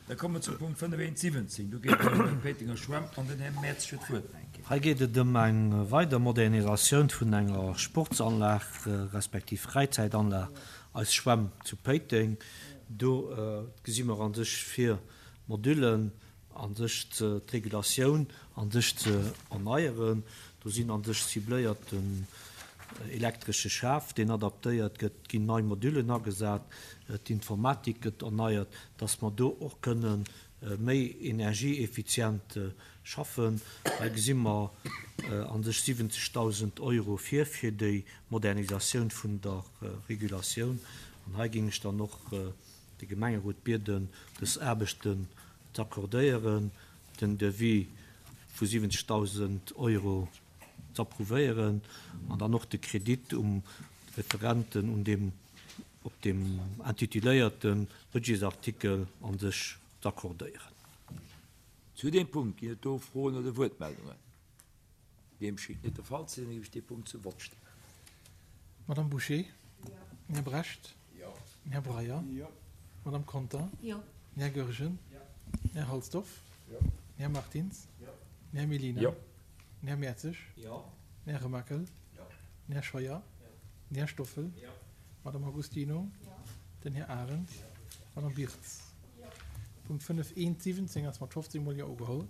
Da komme mer zum Punkt 5.1.17. Do geet et ëm d'Péitenger Schwämm an den Här Mertz huet d'Wuert nach eng Kéier. Hei geet et ëm eng weider Modernisatioun vun enger Sportsanlag respektiv Fräizäitanlag, eis Schwämm zu Péiteng. Do gesi mer a sech vir, d'Modüllen a sech ze, d'Regulatioun a sech ze erneieren. Do sinn a sech cibléiert den elektresche Schaf, deen adaptéiert gëtt, et ginn nei Modüllen agesat, d'Informatik gëtt erneiert, dass mer do och kënne méi energieeffizient schaffen. Hei gesi mer a sech 70.000 Euro vir fir déi Modernisatioun vun der Regulatioun. An hei géing ech dann och de Gemengerot bieden, dës Aarbechten z'accordéieren, den Devis vu 70.000 Euro z'approuvéieren an dann och de Kredit um Referenten un deem, op deem intituléierte Budgetsartikel a sech z'accordéieren. Zu deem Punkt ginn et do Froen oder Wuertmeldungen? Deem schéngt net de Fall ze sinn, da géif ech dee Punkt zum Vott stellen. Madame Bouché? Jo. Den Här Brecht? Jo. Den Här Breyer? Jo. D'Madame Conter? Jo. Den Här Goergen? Jo. Den Här Halsdorf? Jo. Den Här Martins? Jo. Den Här Mellina? Jo. Den Här Mertzig? Jo. Den Här Remakel? Jo. Den Här Scheuer? Jo. Den Här Stoffel? Jo. D'Madame Agostino? Jo. Den Här Arendt? Jo. D'Madame Birtz? Jo. Punkt 5 1 17 ass mat 15 mol Jo ugeholl.